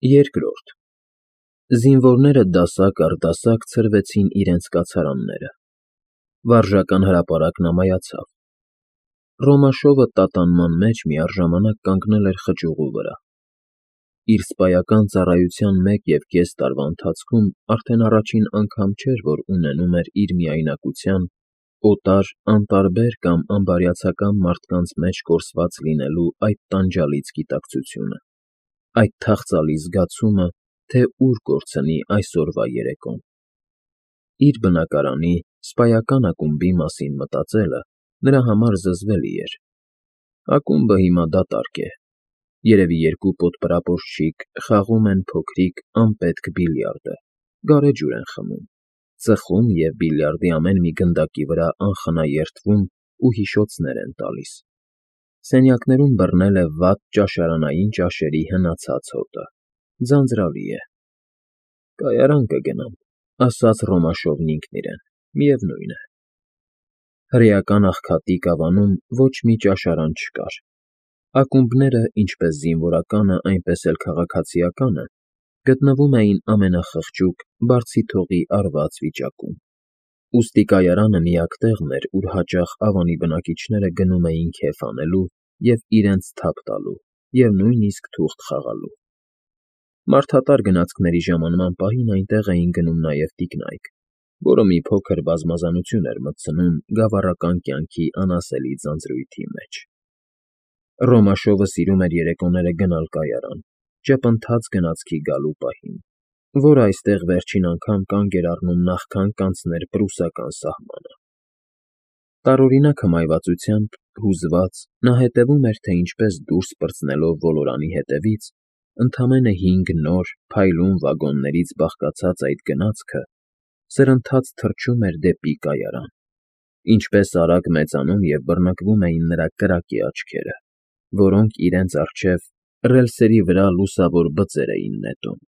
Երկրորդ Զինվորները դասակ առ դասակ ցրվեցին իրենց կացարանները։ Վարժական հրապարակն ամայացավ։ Ռոմաշովը տատանման մեջ միառժամանակ կանգնել էր խճուղու վրա։ Իր սպայական ծառայության 1.5 տարվա ընթացքում արդեն առաջին անգամ չէր, որ ունենում էր իր միայնակության, օտար, անտարբեր կամ անբարյացակամ մարդկանց մեջ կորսված լինելու այդ տանջալից գիտակցությունը, այդ թախծալի զգացումը, թե ուր կորցնի այսօրվա երեկոն։ Իր բնակարանի, սպայական ակումբի մասին մտածելը նրա համար զզվելի էր։ Ակումբը հիմա դատարկ է։ Երևի երկու պոդպրապորչիկ խաղում են փոքրիկ, անպետք բիլիարդը, գարեջուր են խմում, ծխում և բիլիարդի ամեն մի գնդակի վրա անխնա երդվում ու հիշոցներ են տալիս։ Սենյակներում բռնել է վատ ճաշարանային ճաշերի հնացած հոտը, ձանձրալի է։ «Կայարան կգնամ», ասաց Ռոմաշովն ինքն իրեն, միևնույն է։ Հրեական աղքատի գավանում ոչ մի ճաշարան չկար։ Ակումբները, ինչպես զինվորականը, այնպես էլ քաղաքացիականը, գտնվում էին ամենախղճուկ, բարձի թողի արված վիճակում։ Ուստի կայարանը միակ տեղն էր, ուր հաճախ Ավանի բնակիչները գնում էին քեֆ անելու և իրենց թափ տալու և նույնիսկ թուղթ խաղալու։ Մարդատար գնացքների ժամանման պահին այնտեղ էին գնում նաև տիկնայք, որը մի փոքր բազմազանություն էր մտցնում գավառական կյանքի անասելի ձանձրույթի մեջ։ Ռոմաշովը սիրում էր երեկոները գնալ կայարան, ճպընթաց գնացքի գալու պահին, որ այստեղ վերջին անգամ կանգ էր առնում նախքան կանցներ պրուսական սահմանը։ Տարօրինակ հմայվածությամբ, հուզված, նա հետևում էր, թե ինչպես դուրս պրծնելով ոլորանի հետևից, ընդամենը 5 նոր, փայլուն վագոններից բաղկացած այդ գնացքը սրընթաց թռչում էր դեպի կայարան, ինչպես արագ մեծանում և բռնկվում էին նրա կրակե աչքերը, որոնք իրենց առջև ռելսերի վրա լուսավոր բծեր էին նետում,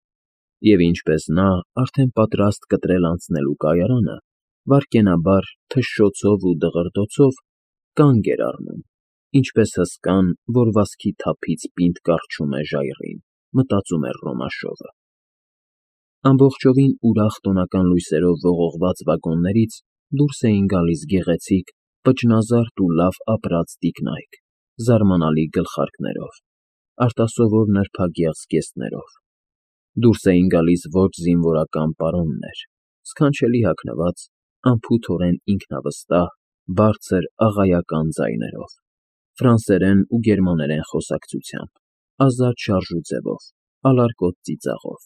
և ինչպես նա, արդեն պատրաստ կտրել անցնելու կայարանը, վայրկենաբար թշշոցով ու դղրդոցով կանգ էր առնում, ինչպես հսկան, որ վազքի թափից պինդ կառչում է ժայռին, մտածում էր Ռոմաշովը։ Ամբողջովին ուրախ տոնական լույսերով ողողված վագոններից դուրս էին գալիս գեղեցիկ, պճնազարդ ու լավ ապրած տիկնայք, զարմանալի գլխարկներով, արտասովոր նրբագեղ զգեստներով։ Դուրս էին գալիս ոչ զինվորական պարոններ, սքանչելի հագնված, անփութորեն ինքնավստահ, բարձր, աղայական ձայներով, ֆրանսերեն ու գերմաներեն խոսակցությամբ, ազատ շարժու ձևով, ալարկոտ ծիծաղով։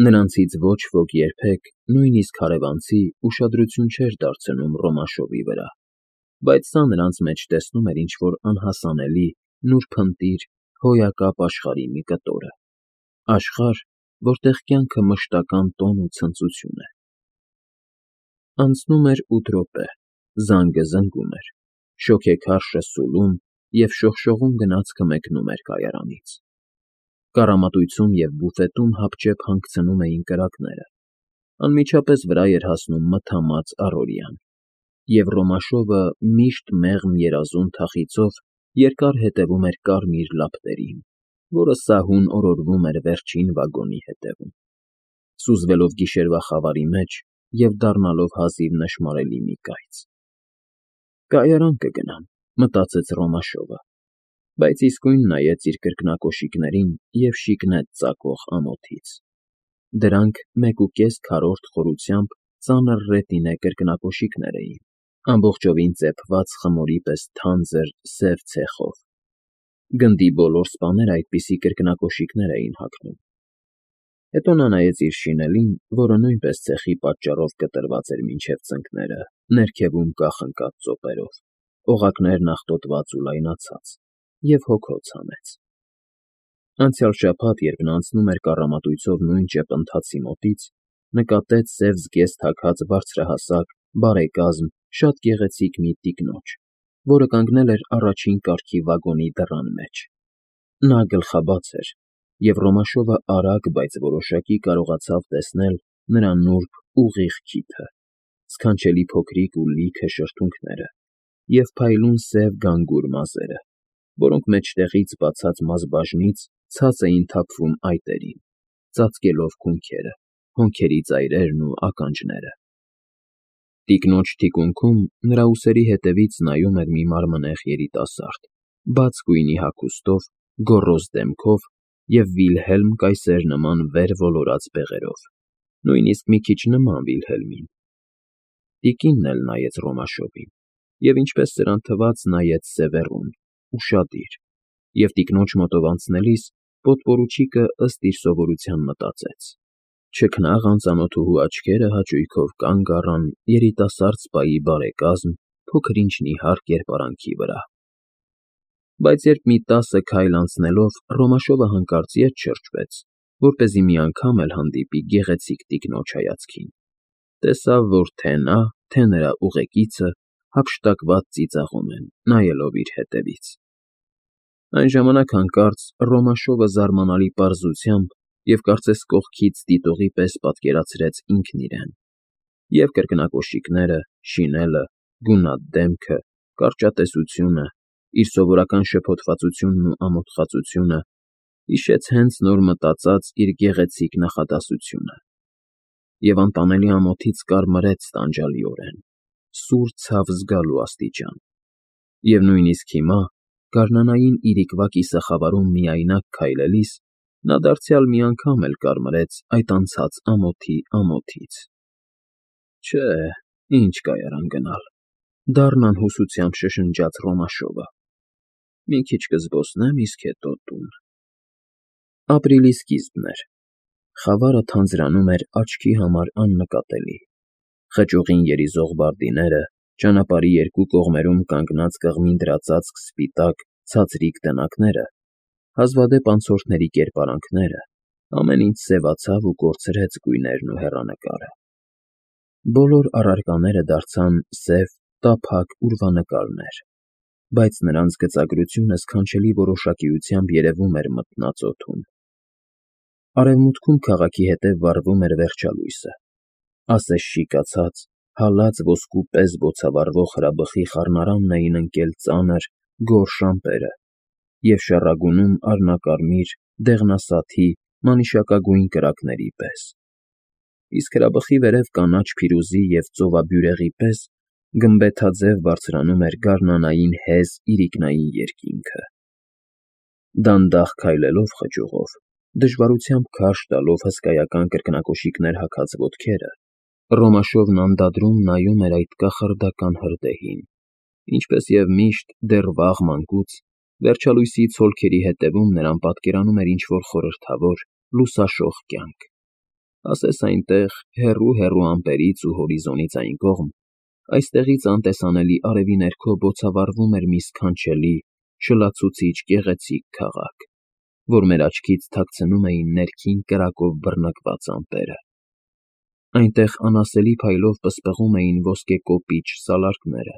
Նրանցից ոչ ոք երբեք, նույնիսկ հարևանցի, ուշադրություն չէր դարձնում Ռոմաշովի վրա, բայց սա նրանց մեջ տեսնում էր ինչ-որ անհասանելի, նուրբընտիր, հոյակապ աշխարհի մի կտորը, աշխարհ, որտեղ կյանքը մշտական տոն ու ցնծություն է։ Անցնում էր 8 րոպե, զանգը զնգում էր, շոգեքարշը սուլում և շողշողուն գնացքը մեկնում էր կայարանից։ Կառամատույցում և բուֆետում հապճեպ հանգցնում էին կրակները, անմիջապես վրա էր հասնում մթամած առօրյան, և Ռոմաշովը միշտ մեղմ երազուն թախիծով երկար հետևում էր կարմիր լապտերին, որը սահուն օրորվում էր վերջին վագոնի ետևում, սուզվելով գիշերվա խավարի մեջ և դառնալով հազիվ նշմարելի մի կայծ։ «Կայարան կգնամ», մտածեց Ռոմաշովը, բայց իսկույն նայեց իր կրկնակոշիկներին և շիկնեց ծակող ամոթից։ Դրանք 1.5 քառորդ խորությամբ ծանր ռետինե կրկնակոշիկներ էին, ամբողջովին ծեփված խմորի պես թանձր, սև ցեխով։ Գնդի բոլոր սպաները այդպիսի կրկնակոշիկներ էին հագնում։ Հետո նա նայեց իր շինելին, որը նույնպես ցեխի պատճառով կտրված էր մինչև ծնկները, ներքևում կախնկած ծոպերով, օղակներն աղտոտված ու լայնացած, և հոգոց հանեց։ Անցյալ շաբաթ, երբ նա անցնում էր կառամատույցով նույն ճեպընթացի մոտից, նկատեց սև զգեստ հագած բարձրահասակ, բարեկազմ, շատ գեղեցիկ մի տիկնոջ, որը կանգնել էր առաջին կարգի վագոնի դռան մեջ։ Նա գլխաբաց էր, և Ռոմաշովը արագ, բայց որոշակի կարողացավ տեսնել նրա նուրբ, ուղիղ քիթը, սքանչելի փոքրիկ ու լիքը շրթունքները և փայլուն սև գանգուր մազերը, որոնք մեջտեղից բացած մազբաժնից ցած էին թափվում այտերին, ծածկելով քունքերը, հոնքերի ծայրերն ու ականջները։ Տիկնոջ թիկունքում նրա ուսերի հետևից նայում էր մի մարմնեղ երիտասարդ, բաց գույնի հագուստով, գոռոզ դեմքով և Վիլհելմ կայսեր նման վեր ոլորած բեղերով, նույնիսկ մի քիչ նման Վիլհելմին։ Տիկինն էլ նայեց Ռոմաշովին և, ինչպես սրան թվաց, նայեց սևեռուն, ուշադիր, և տիկնոջ մոտով անցնելիս պոտպորուչիկը ըստ իր սովորության մտածեց. չքնաղ անծանոթուհու աչքերը հաճույքով կանգ առան երիտասարդ սպայի բարեկազմ, փոքր-ինչ նիհար կերպարանքի վրա։ Բայց երբ մի 10 քայլ անցնելով Ռոմաշովը հանկարծ ետ շրջվեց, որպեսզի մի անգամ էլ հանդիպի գեղեցիկ տիկնոջ հայացքին, տեսավ, որ թե նա, թե նրա ուղեկիցը հափշտակված ծիծաղում են, նայելով իր հետևից։ Այն ժամանակ հանկարծ Ռոմաշովը զարմանալի պարզությամբ և կարծես կողքից դիտողի պես պատկերացրեց ինքն իրեն, և կրկնակոշիկները, շինելը, գունատ դեմքը, կարճատեսությունը, իր սովորական շփոթվածությունն ու ամոթխածությունը, հիշեց հենց նոր մտածած իր գեղեցիկ նախադասությունը, և անտանելի ամոթից կարմրեց տանջալիորեն, սուր ցավ զգալու աստիճան, և նույնիսկ հիմա, գարնանային իրիկվա կիսախավարում միայնակ քայլելիս, նա դարձյալ մի անգամ էլ կարմրեց այդ անցած ամոթի ամոթից։ Չէ, ինչ կայարան գնալ,֊ դառն անհուսությամբ շշնջաց Ռոմաշովը,֊ մի քիչ կզբոսնեմ, իսկ հետո տուն։ Ապրիլի սկիզբն էր։ Խավարը թանձրանում էր աչքի համար աննկատելի։ Խճուղին երիզող բարդիները, ճանապարհի երկու կողմերում կանգնած կղմին դրածածկ սպիտակ, ցածրիկ տնակները, հազվադեպ անցորդների կերպարանքները, ամեն ինչ սևացավ ու կորցրեց գույներն ու հեռանկարը։ Բոլոր առարկաները դարձան սև, տափակ ուրվանկարներ, բայց նրանց գծագրությունը սքանչելի որոշակիությամբ երևում էր մթնած օդում։ Արևմուտքում քաղաքի հետև վառվում էր վերջալույսը, ասես շիկացած, հալած ոսկու պես բոցավառվող հրաբխի խառնարանն էին ընկել ծանր, գորշ ամպերը և շառագունում առնակարմիր, դեղնասաթի, մանիշակագույն կրակների պես, իսկ հրաբխի վերև կանաչ փիրուզի և ծովաբյուրեղի պես գմբեթաձև բարձրանում էր գարնանային հեզ իրիկնային երկինքը։ Դանդաղ քայլելով խճուղով, դժվարությամբ քարշ տալով հսկայական կրկնակոշիկներ հագած ոտքերը, Ռոմաշովն անդադրում նայում էր այդ կախարդական հրդեհին, ինչպես և միշտ դեռ վաղ մանկուց, վերջալույսի ցոլքերի հետևում նրան պատկերանում էր ինչ-որ խորհրդավոր, լուսաշող կյանք, ասես այնտեղ, հեռու ամպերից ու հորիզոնից այն կողմ, այստեղից անտեսանելի արևի ներքո բոցավառվում էր մի սքանչելի, շլացուցիչ գեղեցիկ քաղաք, որ մեր աչքից թաքցնում էին ներքին կրակով բռնկված ամպերը։ Այնտեղ անասելի փայլով պսպղում էին ոսկեկոպիչ սալարկները,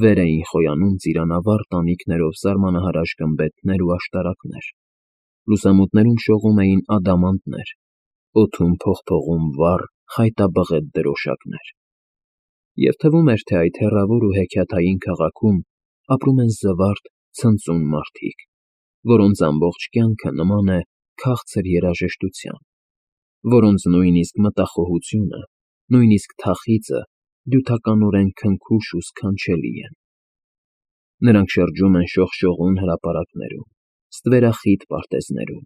վեր էին խոյանում ծիրանավառ տանիքներով սարմանահարաշ գմբեթներ ու աշտարակներ, լուսամուտներում շողում էին ադամանդներ, օդում փողփողում վառ, խայտաբղետ դրոշակներ, և թվում էր, թե այդ հեռավոր ու հեքիաթային քաղաքում ապրում են զվարթ, ցնծուն մարդիկ, որոնց ամբողջ կյանքը նման է քաղցր երաժշտության, որոնց նույնիսկ մտախոհությունը, նույնիսկ թախիծը դյութականորեն քնքուշ ու սքանչելի են։ Նրանք շրջում են շողշողուն հրապարակներում, ստվերախիտ պարտեզներում,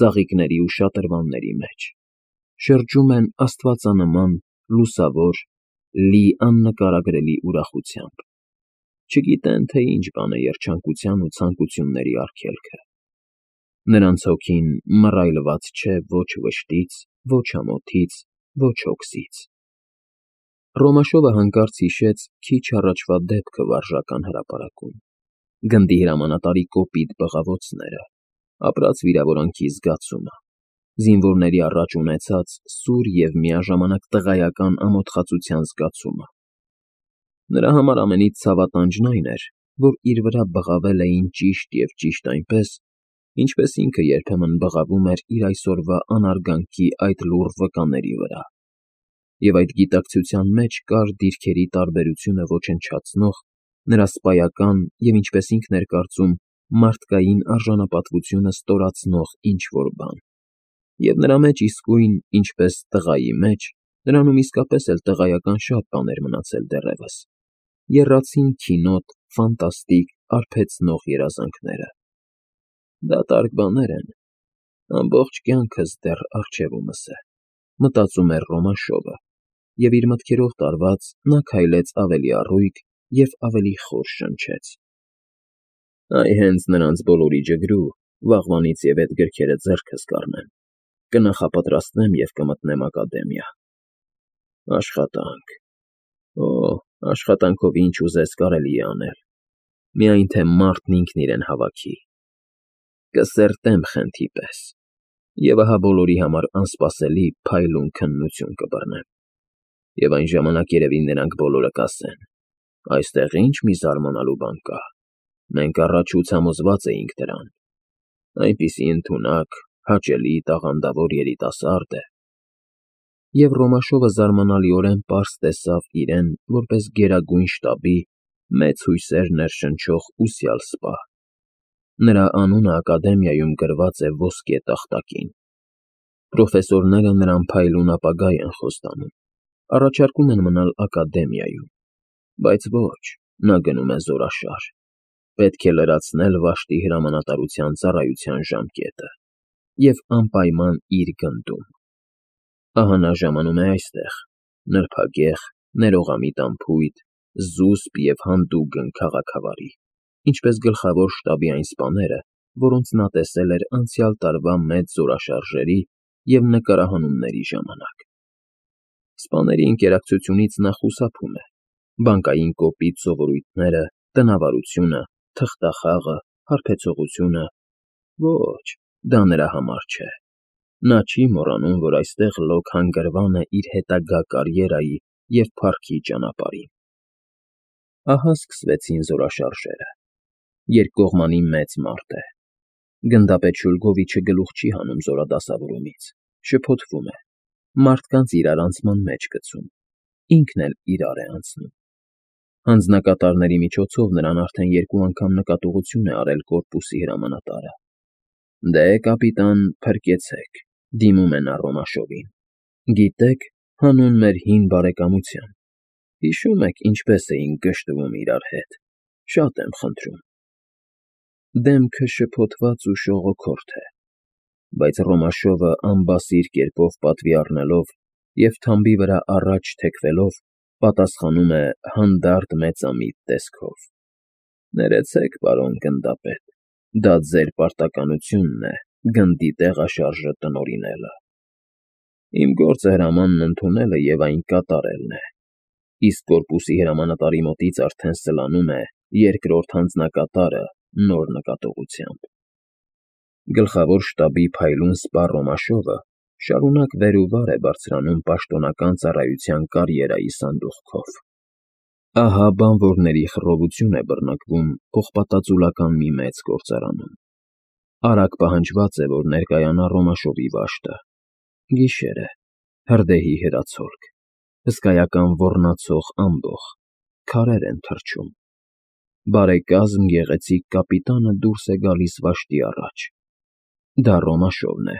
ծաղիկների ու շատրվանների մեջ, շրջում են աստվածանման, լուսավոր, լի աննկարագրելի ուրախությամբ, չգիտեն, թե ինչ բան է երջանկության ու ցանկությունների արգելքը։ Նրանց հոգին մռայլված չէ ոչ վշտից, ոչ ամոթից, ոչ հոգսից։ Ռոմաշովը հանկարծ հիշեց քիչ առաջվա դեպքը վարժական հրապարակում, գնդի հրամանատարի կոպիտ բղավոցները, ապրած վիրավորանքի զգացումը, զինվորների առաջ ունեցած սուր և միաժամանակ տղայական ամոթխածության զգացումը։ Նրա համար ամենից ցավատանջն այն էր, որ իր վրա բղավել էին ճիշտ և ճիշտ այնպես, ինչպես ինքը երբեմն բղավում էր իր այսօրվա անարգանքի այդ լուռ վկաների վրա, և այդ գիտակցության մեջ կար դիրքերի տարբերությունը ոչնչացնող, նրա սպայական և, ինչպես ինքն էր կարծում, մարդկային արժանապատվությունը ստորացնող ինչ-որ բան, և նրա մեջ իսկույն, ինչպես տղայի մեջ, նրանում իսկապես էլ տղայական շատ բաներ մնացել դեռևս, եռացին քինոտ, ֆանտաստիկ, արբեցնող երազանքները։ Դատարկ բաներ են, ամբողջ կյանքս դեռ առջևումս է, մտածում էր Ռոմաշովը, և իր մտքերով տարված նա քայլեց ավելի առույգ և ավելի խոր շնչեց. «Այ հենց նրանց բոլորի ջգրու, վաղվանից և էդ գրքերը ձեռքս կառնեմ, կնախապատրաստեմ և կմտնեմ ակադեմիա։ Աշխատանք… Օ, աշխատանքով ինչ ուզես կարելի է անել, միայն թե մարդն ինքն իրեն հավաքի։ Կսերտեմ խենթի պես, և ահա բոլորի համար անսպասելի, փայլուն քննություն կբռնեմ, և այն ժամանակ երևի նրանք բոլորը կասեն. «Այստեղ ինչ մի զարմանալու բան կա, մենք առաջուց համոզված էինք դրան, այնպիսի ընդունակ, հաճելի, տաղանդավոր երիտասարդ է»։ Եվ Ռոմաշովը զարմանալիորեն պարզ տեսավ իրեն որպես Գերագույն շտաբի մեծ հույսեր ներշնչող ուսյալ սպա։ Նրա անունը ակադեմիայում գրված է ոսկե տախտակին։ Պրոֆեսորները նրան փայլուն ապագա են խոստանում, առաջարկում են մնալ ակադեմիայում, բայց ոչ, նա գնում է զորաշար, պետք է լրացնել վաշտի հրամանատարության ծառայության ժամկետը և անպայման իր գնդում։ Ահա նա ժամանում է այստեղ, նրբագեղ, ներողամիտ անփույթ, զուսպ և հանդուգն քաղաքավարի, ինչպես գլխավոր շտաբի այն սպաները, որոնց նա տեսել էր անցյալ տարվա մեծ զորաշարժերի և նկարահանումների ժամանակ։ Սպաների ընկերակցությունից նա խուսափում է, բանկային կոպիտ սովորույթները, տնավարությունը, թղթախաղը, հարբեցողությունը… Ոչ, դա նրա համար չէ։ Նա չի մոռանում, որ այստեղ լոկ հանգրվան է իր հետագա կարիերայի և փառքի ճանապարհին։ Ահա սկսվեցին զորաշարժերը։ Երկկողմանի մեծ մարտ է։ Գնդապետ Շուլգովիչը գլուխ չի հանում զորադասավորումից, շփոթվում է, մարդկանց իրարանցման մեջ գցում, ինքն էլ իրար է անցնում։ Հանձնակատարների միջոցով նրան արդեն 2 անգամ նկատողություն է արել կորպուսի հրամանատարը։ Դե, կապիտան, փրկեցեք, դիմում է նա Ռոմաշովին։ Գիտեք, հանուն մեր հին բարեկամության, հիշո՞ւմ եք ինչպես էինք գժտվում իրար հետ, շատ եմ խնդրում։ Դեմքը շփոթված ու շողոքորթ է, բայց Ռոմաշովը անբասիր կերպով պատվի առնելով և թամբի վրա առաջ թեքվելով, պատասխանում է հանդարտ մեծամիտ տեսքով. Ներեցեք, պարոն գնդապետ, դա ձեր պարտականությունն է գնդի տեղաշարժը տնօրինելը։ Իմ գործը հրամանն ընդունելը և այն կատարելն է, իսկ կորպուսի հրամանատարի մոտից արդեն սլանում է 2-րդ հանձնակատարը նոր նկատողությամբ։ Գլխավոր շտաբի փայլուն սպա Ռոմաշովը շարունակ վեր ու վար է բարձրանում պաշտոնական ծառայության կարիերայի սանդուղքով։ Ահա բանվորների խռովություն է բռնկվում պողպատածուլական մի մեծ գործարանում։ Արագ պահանջված է, որ ներկայանա Ռոմաշովի վաշտը։ Գիշեր է, հրդեհի հրացոլք, հսկայական ոռնացող ամբոխ, քարեր են թռչում։ Բարեկազմ գեղեցիկ կապիտանը դուրս է գալիս վաշտի առաջ։ Դա Ռոմաշովն է։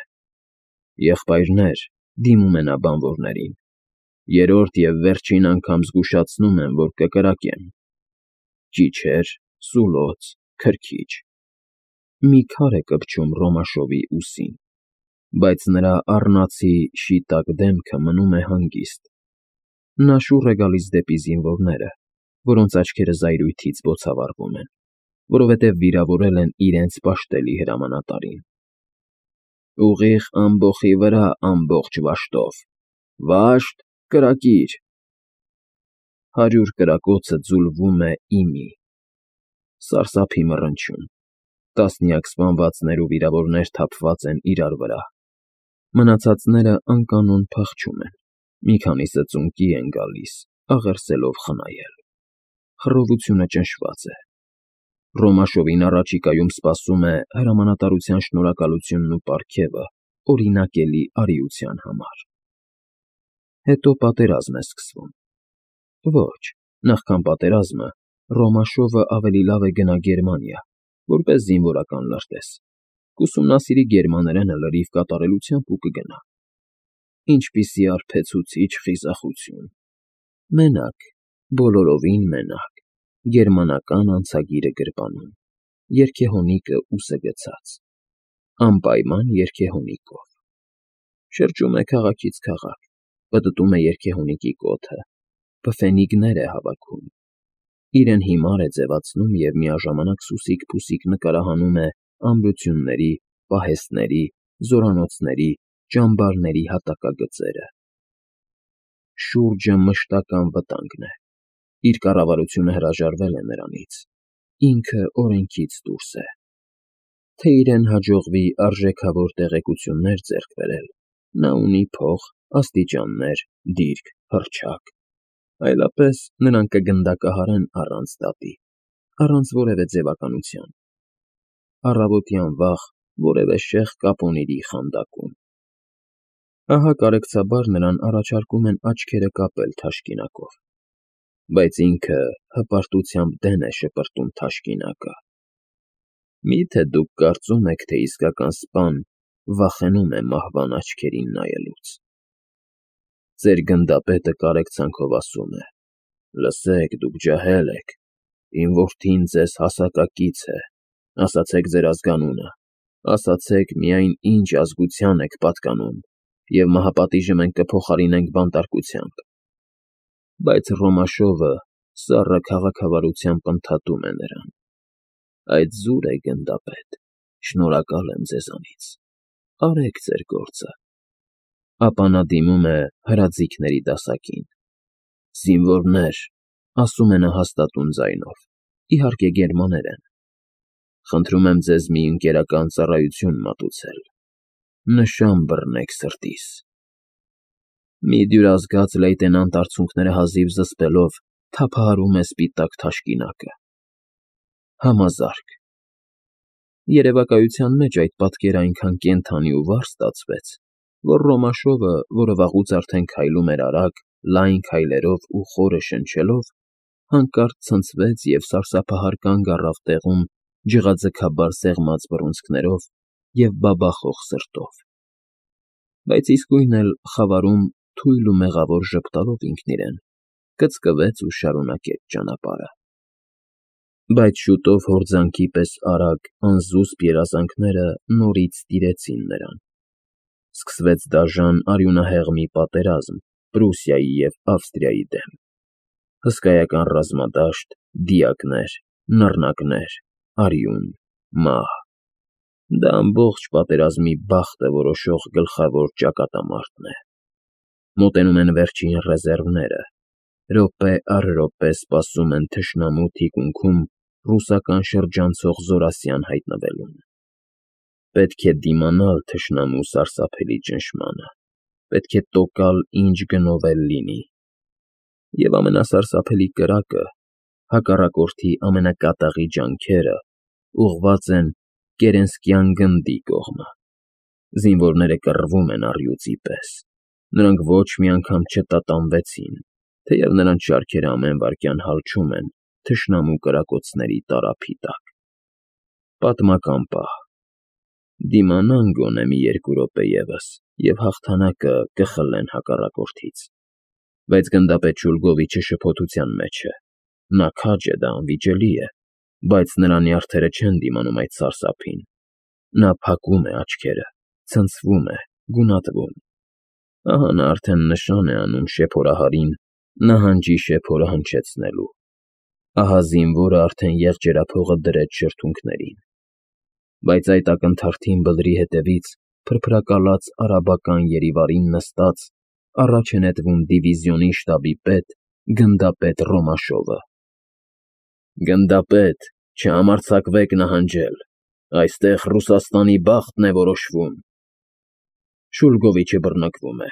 Եղբայրներ, դիմում է նա բանվորներին, 3-րդ և վերջին անգամ զգուշացնում եմ, որ կկրակեմ։ Ճիչեր, սուլոց, քրքիջ… Մի քար է կպչում Ռոմաշովի ուսին, բայց նրա առնացի շիտակ դեմքը մնում է հանգիստ։ Նա շուռ է գալիս դեպի զինվորները, որոնց աչքերը զայրույթից բոցավառվում են, որովհետև վիրավորել են իրենց պաշտելի հրամանատարին։ Ուղիղ ամբոխի վրա ամբողջ վաշտով… Վաշտ, կրակիր… 100 կրակոցը ձուլվում է իմի… Սարսափի մռնչյուն… Տասնյակ սպանվածներ ու վիրավորներ թափված են իրար վրա… Մնացածները անկանոն փախչում են, մի քանիսը ծունկի են գալիս, աղերսելով խնայել… Խռովությունը ճնշված է… Ռոմաշովին առաջիկայում սպասում է հրամանատարության շնորհակալությունն ու պարգևը օրինակելի արիության համար… Հետո պատերազմ է սկսվում… Ոչ, նախքան պատերազմը Ռոմաշովը ավելի լավ է գնա Գերմանիա, որպես զինվորական լրտես, կուսումնասիրի գերմաներենը լրիվ կատարելությամբ ու կգնա։ Ինչպիսի արբեցուցիչ խիզախություն։ Մենակ, բոլորովին մենակ, գերմանական անցագիրը գրպանում, երգեհոնիկը ուսը գցած, անպայման երգեհոնիկով։ Շրջում է քաղաքից քաղաք, պտտում է երգեհոնիկի կոթը, փֆենիգներ է հավաքում, իրեն հիմար է ձևացնում և միաժամանակ սուսիկ-փուսիկ նկարահանում է ամրությունների, պահեստների, զորանոցների, ճամբարների հատակագծերը։ Շուրջը մշտական վտանգն է, իր կառավարությունը հրաժարվել է նրանից, ինքը օրենքից դուրս է։ Թե իրեն հաջողվի արժեքավոր տեղեկություններ ձեռք բերել, նա ունի փող, աստիճաններ, դիրք, հռչակ, այլապես նրան կգնդակահարեն առանց դատի, առանց որևէ ձևականության, առավոտյան վաղ որևէ շեղ կապոնիրի խանդակում։ Ահա կարեկցաբար նրան առաջարկում են աչքերը կապել թաշկինակով, բայց ինքը հպարտությամբ դեն է շպրտում թաշկինակը։ Մի՞թե դուք կարծում եք, թե իսկական սպան վախենում է մահվան աչքերին նայելուց։ Ձեր գնդապետը կարեկցանքով ասում է. «Լսեք, դուք ջահել եք, իմ որդին ձեզ հասակակից է, ասացեք ձեր ազգանունը, ասացեք միայն ինչ ազգության եք պատկանում, և մահապատիժը մենք կփոխարինենք բանտարկությամբ»։ Բայց Ռոմաշովը սառը քաղաքավարությամբ ընդհատում է նրան. «Այդ զուր է, գնդապետ, շնորհակալ եմ ձեզանից, արեք ձեր գործը»։ Ապա նա դիմում է հրաձիգների դասակին։ «Զինվորներ», ասում է նա հաստատուն ձայնով, իհարկե գերմաներեն, «խնդրում եմ ձեզ մի ընկերական ծառայություն մատուցել. նշան բռնեք սրտիս»։ Մի դյուրազգաց լեյտենանտ արցունքները հազիվ զսպելով թափահարում է սպիտակ թաշկինակը։ Համազարկ։ Երևակայության մեջ այդ պատկերը այնքան կենդանի ու վառ ստացվեց, որ Ռոմաշովը, որը վաղուց արդեն քայլում էր արագ, լայն քայլերով ու խորը շնչելով, հանկարծ ցնցվեց և սարսափահար կանգ առավ տեղում ջղաձգաբար սեղմած բռունցքներով և բաբախող սրտով, բայց իսկույն էլ խավարում թույլ ու մեղավոր ժպտալով ինքն իրեն, կծկվեց ու շարունակեց ճանապարհը։ Բայց շուտով հորձանքի պես արագ, անզուսպ երազանքները նորից տիրեցին նրան։ Սկսվեց դաժան արյունահեղ մի պատերազմ Պրուսիայի և Ավստրիայի դեմ։ Հսկայական ռազմադաշտ, դիակներ, նռնակներ, արյուն, մահ։ Դա ամբողջ պատերազմի բախտը որոշող գլխավոր ճակատամարտն է։ Մոտենում են վերջին ռեզերվները, րոպե առ րոպե սպասում են թշնամու թիկունքում ռուսական շրջանցող զորասյան հայտնվելուն։ Պետք է դիմանալ թշնամու սարսափելի ճնշմանը, պետք է տոկալ ինչ գնով էլ լինի։ Եվ ամենասարսափելի կրակը, հակառակորդի ամենակատաղի ջանքերը ուղղված են Կերենսկյան գնդի կողմը։ Զինվորները կռվում են առյուծի պես։ Նրանք ոչ մի անգամ չտատանվեցին, թեև նրանց շարքերը ամեն վայրկյան հալչում են թշնամու կրակոցների տարափի տակ։ Պատմական պահ։ Դիմանան գոնե մի 2 րոպե ևս, և հաղթանակը կխլեն հակառակորդից։ Բայց գնդապետ Շուլգովիչը շփոթության մեջ է։ Նա քաջ է, դա անվիճելի է, բայց նրա նյարդերը չեն դիմանում այդ սարսափին։ Նա փակում է աչքերը, ցնցվում է, գունատվում։ Ահա նա արդեն նշան է անում շեփորահարին նահանջի շեփորը հնչեցնելու։ Ահա զինվորը արդեն եղջերափողը դրեց շրթունքներին։ Բայց այդ ակնթարթին բլրի հետևից փրփրակալած արաբական երիվարին նստած առաջ է նետվում դիվիզիոնի շտաբի պետ գնդապետ Ռոմաշովը։ «Գնդապետ, չհամարձակվեք նահանջել, այստեղ Ռուսաստանի բախտն է որոշվում»։ Շուլգովիչը բռնկվում է։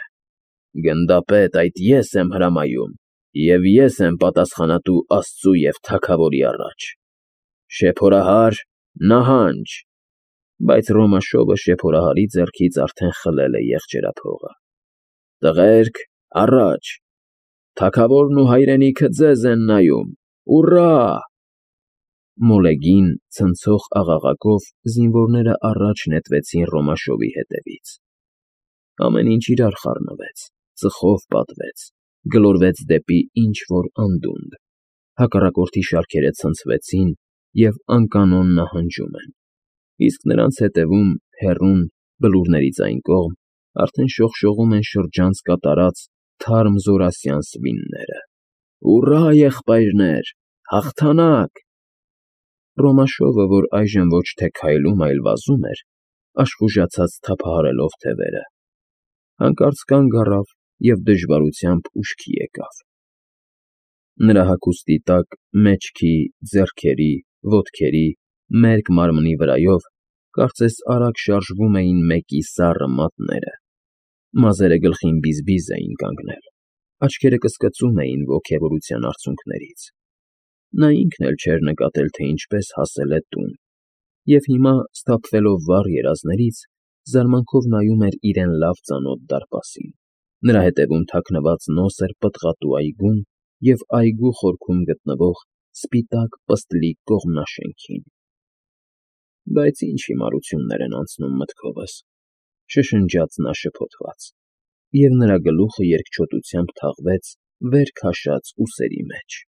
«Գնդապետ, այդ ես եմ հրամայում, և ես եմ պատասխանատու Աստծու և թագավորի առաջ։ Շեփորահար, նահանջ»։ Բայց Ռոմաշովը շեփորահարի ձեռքից արդեն խլել է եղջերափողը։ «Տղերք, առաջ, թագավորն ու հայրենիքը ձեզ են նայում, ուռա»։ Մոլեգին, ցնցող աղաղակով զինվորները առաջ նետվեցին Ռոմաշովի հետևից։ Ամեն ինչ իրար խառնվեց, ծխով պատվեց, գլորվեց դեպի ինչ֊որ անդունդ, հակառակորդի շարքերը ցնցվեցին և անկանոն նահանջում են, իսկ նրանց հետևում, հեռուն, բլուրներից այն կողմ, արդեն շողշողում են շրջանց կատարած թարմ զորասյան սվինները։ «Հուռա, եղբայրներ, հաղթանակ»։ Ռոմաշովը, որ այժմ ոչ թե քայլում, այլ վազում էր, աշխուժացած թափահարելով թևերը, հանկարծ կանգ առավ և դժվարությամբ ուշքի եկավ։ Նրա հագուստի տակ, մեջքի, ձեռքերի, ոտքերի, մերկ մարմնի վրայով կարծես արագ շարժվում էին մեկի սառը մատները, մազերը գլխին բիզ֊բիզ էին կանգնել, աչքերը կսկծում էին ոգևորության արցունքներից։ Նա ինքն էլ չէր նկատել, թե ինչպես հասել է տուն, և հիմա, սթափվելով վառ երազներից, զարմանքով նայում էր իրեն լավ ծանոթ դարպասին, նրա հետևում թաքնված նոսր պտղատու այգուն և այգու խորքում գտնվող սպիտակ պստլիկ կողմնաշենքին։ «Բայց ինչ հիմարություններ են անցնում մտքովս», շշնջաց նա շփոթված, և նրա գլուխը երկչոտությամբ թաղվեց վեր քաշած ուսերի մեջ։